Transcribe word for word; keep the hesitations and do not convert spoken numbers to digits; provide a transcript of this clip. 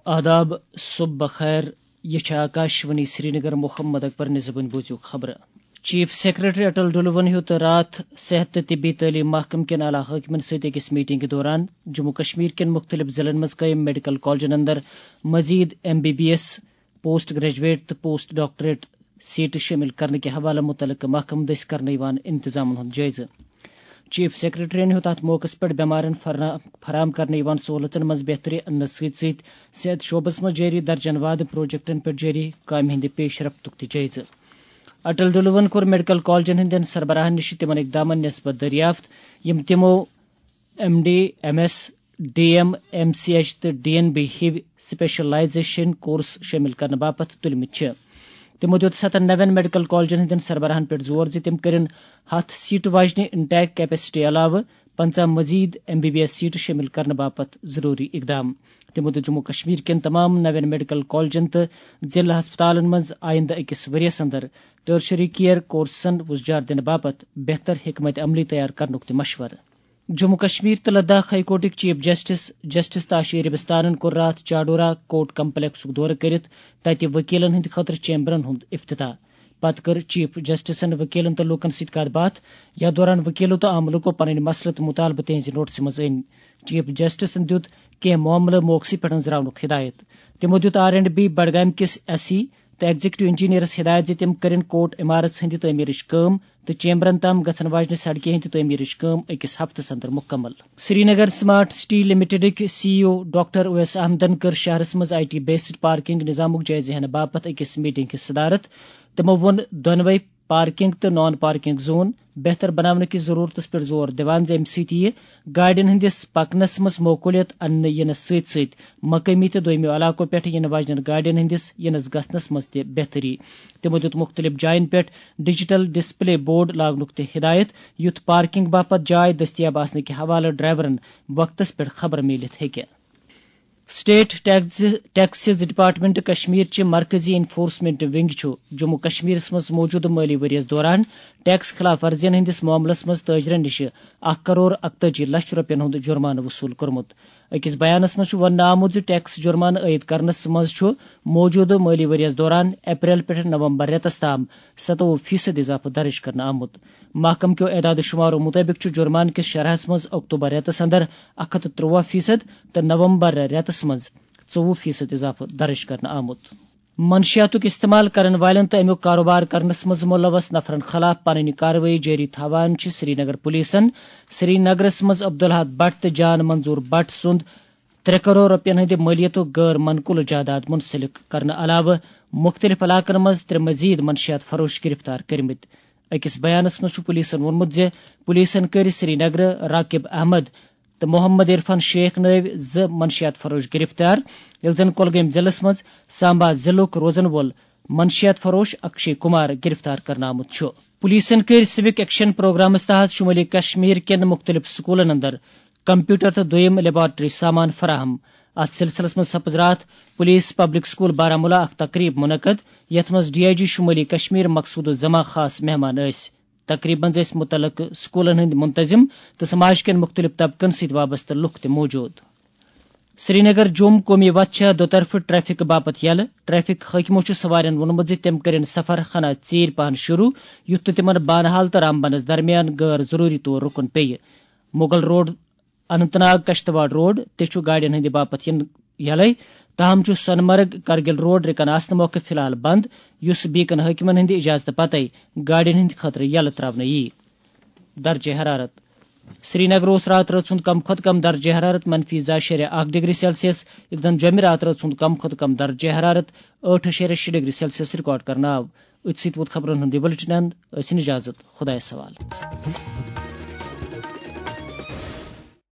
آداب، صبح بخیر۔ یہ چھِ آکاشوانی سرینگر۔ محمد اکبر نِزبٕنۍ بوٗزِو خبرٕ۔ چیف سیکرٹری اٹل ڈلوَن ہیوٚت راتھ صحت تہٕ طبی تعلیٖم محکمہٕ کٮ۪ن اعلیٰ حٲکمَن سۭتۍ أکِس میٹنگہِ دوران جموں کشمیر کٮ۪ن مُختٔلِف ضلعن منٛز قٲیِم میڈیکل کالجن اندر مزید M B B S, post graduate تہٕ پوسٹ ڈاکٹریٹ سیٹہٕ شٲمِل کرنہٕ کہِ حوالہٕ مُتعلقہٕ محکمہٕ دٔسۍ کرنہٕ یِوان انتظامن ہُنٛد جٲیزٕ۔ چیف سیکرٹریَن ہیوٚت اَتھ موقعَس پٮ۪ٹھ بٮ۪مارٮ۪ن فرنا-، فراہم کرنہٕ یِوان سہوٗلژن منٛز بہتری اننس سۭتۍ سۭتۍ صحت شعبس منٛز جٲری درجن وادٕ پروجیکٹن پٮ۪ٹھ جٲری کامہِ ہٕنٛدِ پیش رفتُک تہِ جٲیزٕ۔ اٹل ڈلوَن کوٚر میڈیکل کالجن ہٕنٛدٮ۪ن سربراہن نِش تِمن اقدامن نسبت دٔریافت، یِم تِمو M D, M S, D M, M C H تہٕ ڈی این بی ہِوۍ سپیشلائزیشن کورس شٲمِل کرنہٕ باپتھ تُلمٕتۍ چھِ۔ تِمو دِیُت ستن نوٮ۪ن میڈیکل کالجن ہٕنٛدٮ۪ن سربراہن پٮ۪ٹھ زور زِ تِم کٔرِن ہتھ سیٹہٕ واجنہِ انٹیک کیپیسٹی علاوٕ پنژاہ مزید ایم بی بی ایس سیٹہٕ شٲمِل کرنہٕ باپتھ ضروٗری اقدام۔ تِمو دِیُت جموں کشمیر کٮ۪ن تمام نوٮ۪ن میڈیکل کالجن تہٕ ضلع ہسپتالن منٛز آیندٕ أکِس ؤرۍ یَس اندر ٹرشری کیئر کورسن وُزجار دِنہٕ باپتھ بہتر حکمت عملی تیار کرنُک تہِ مشورٕ۔ جموں کشمیر تہٕ لداخ ہائی کورٹٕکۍ چیف جسٹس، جسٹس تاشی ربستانن کوٚر راتھ چاڈورہ کورٹ کمپلیکسُک دورٕ کٔرِتھ تتہِ وکیلن ہٕنٛدِ خٲطرٕ چیمبرن ہُنٛد افتتاح۔ پتہٕ کٔر چیف جسٹسن وکیلن تہٕ لوٗکن سۭتۍ کتھ باتھ، یتھ دوران وکیلو تہٕ عام لوٗکو پنٕنۍ مسلہٕ تہٕ مطالبہٕ تہنٛزِ نوٹسہِ منٛز أنۍ۔ چیف جسٹسن دیُت کینٛہہ معاملہٕ موقعسٕے پٮ۪ٹھ أنٛزراونُک ہدایت۔ تِمو دیُت آر اینڈ بی بڈگام کِس ایس ای تہٕ ایگزیکٹو انجینئرس ہدایت زِ تِم کٔرِن کورٹ عمارژ ہٕنٛدِ تعمیرٕچ کٲم تہٕ چیمبرن تام گژھن واجنہِ سڑکہِ ہٕنٛدِ تعمیرٕچ کٲم أکِس ہفتس اندر مُکمل۔ سرینگر سمارٹ سٹی لمیٹڈٕکۍ سی ای او ڈاکٹر اویس احمدن کٔر شہرس منٛز آئی ٹی بیسڈ پارکنگ نظامُک جٲیزٕ ہینہٕ باپتھ أکِس میٹنگ ہٕنٛز صدارت۔ تِمو ووٚن دۄنوَے پارکنگ تہٕ نان پارکنگ زون بہتر بناونہٕ کِس ضرورتس پٮ۪ٹھ زور دِوان زِ اَمہِ سۭتۍ یِیہِ گاڑٮ۪ن ہٕنٛدِس پکنس منٛز معقولیت اننہٕ یِنس سۭتۍ سۭتۍ مقٲمی تہٕ دوٚیمِیو علاقو پٮ۪ٹھ یِنہٕ واجنٮ۪ن گاڑٮ۪ن ہٕنٛدِس یِنس گژھنس منٛز تہِ بہتری۔ تِمو دیُت مُختٔلِف جاین پٮ۪ٹھ ڈیجیٹل ڈسپلے بورڈ لاگنُک تہِ ہدایت، یُتھ پارکنگ باپتھ جاے دٔستیاب آسنہٕ کہِ حوالہٕ ڈرائیورن وقتس پٮ۪ٹھ خبر میٖلِتھ ہیٚکہِ۔ State tax, taxes department Kashmir چہِ مرکزی انفورسمنٹ ونگ چھُ جموں کشمیرس منٛز موٗجوٗدٕ مٲلی ؤرۍ یَس دوران ٹیکس خلاف ورزین ہٕنٛدِس معاملس منٛز تٲجرن نِش اکھ کرور اکتٲجی لچھ رۄپین ہُنٛد جرمانہٕ وصوٗل کوٚرمُت۔ أکِس بیانس منٛز چھُ وننہٕ آمُت زِ ٹیکس جرمانہٕ عائد کرنس منٛز چھُ موٗجوٗدٕ مٲلی ؤرۍ یَس دوران اپریل پٮ۪ٹھ نومبر رٮ۪تس تام ستووُہ فیصد اضافہٕ درٕج کرنہٕ آمُت۔ محکمہٕ کیو اعداد و شمارو مُطٲبِق چھُ جرمانہٕ کِس شرحس منٛز اکتوبر رٮ۪تس اندر اکھ ہتھ تہٕ ترٛوواہ فیصد تہٕ نومبر رٮ۪تس منٛز ژوٚوُہ فیصد اضافہٕ درٕج کرنہٕ آمُت۔ منشیاتُک استعمال کرن والٮ۪ن تہٕ امیُک کاروبار کرنس منٛز ملوث نفرن خلاف پنٕنۍ کاروٲیی جٲری تھاوان چھِ سرینگر پولیسن سرینگرس منٛز عبدالحد بٹ تہٕ جان منظور بٹ سُنٛد ترٛےٚ کرور رۄپین ہٕنٛدِ مٲلیتُک غٲر منقولہٕ جائیداد منسلک کرنہٕ علاوٕ مُختٔلِف علاقن منٛز ترٛےٚ مزید منشیات فروش گرفتار کٔرمٕتۍ۔ أکِس بیانس منٛز چھُ پولیسن ووٚنمُت زِ پولیسن کٔرۍ سرینگرٕ راقب احمد تہٕ محمد عرفان شیخ نٲوۍ زٕ منشیات فروش گرفتار، ییٚلہِ زن کۄلگٲمۍ ضلعس منٛز سامبا ضلعُک روزن وول منشیات فروش اکشے کمار گرفتار کرنہٕ آمُت چھُ۔ پولیسن کٔرۍ سِوک ایکشن پروگرامس تحت شمٲلی کشمیر کٮ۪ن مُختٔلِف سکوٗلن اندر کمپیوٹر تہٕ دوٚیِم لیبارٹری سامان فراہم۔ اتھ سلسلس منٛز سپٕز راتھ پولیس پبلک سکول بارہمولہ اکھ تقریب منعقد، یتھ منٛز ڈی آئی جی شمٲلی کشمیر مقصود الزمان خاص مہمان ٲسۍ۔ تقریبہِ منٛز ٲسۍ مُتعلقہٕ سکوٗلن ہٕنٛدۍ منتظم تہٕ سماج کٮ۪ن مُختٔلِف طبقن سۭتۍ وابستہٕ لُکھ تہِ موٗجوٗد۔ سرینگر جوم قومی وتھ چھےٚ دۄطرفہٕ ٹریفک باپتھ یلہٕ۔ ٹریفک حٲکمو چھُ سوارٮ۪ن ووٚنمُت زِ تِم کٔرِن سفر ہنا ژیٖرۍ پہن شروع، یُتھ نہٕ تِمن بانہال تہٕ رامبنس درمیان غٲر ضروٗری طور رُکُن پیٚیہِ۔ مغل روڈ، اننت ناگ کشتواڑ روڈ تہِ چھُ گاڑٮ۪ن ہٕنٛدِ باپتھ یِنہٕ یلے۔ تاہم چھُ سۄنہٕ مرگ کرگل روڈ رِکن آسنہٕ موکھٕ فی الحال بند، یُس بیکن حٲکمن ہٕنٛدِ اجازتہٕ پتے گاڑٮ۪ن ہٕنٛدِ خٲطرٕ یلہٕ تراونہٕ یِیہِ۔ درجہ حرارت۔ سرینگر اوس راتہٕ رٲژ ہُنٛد کم کھۄتہٕ کم درجہ حرارت منفی زٕ اَشاریہ اکھ ڈگری سیلسیس، ییٚلہِ زن جوٚمہِ راتہٕ رٲژ ہُنٛد کم کھۄتہٕ کم درجہ حرارت ٲٹھ اَشاریہ شےٚ ڈگری سیلسیس ریکارڈ کرنہٕ آو۔ أتھۍ سۭتۍ ووت خبرن ہُنٛد یہِ بُلٹن اند۔ ٲسِن اجازت، خۄدایس حوالہٕ۔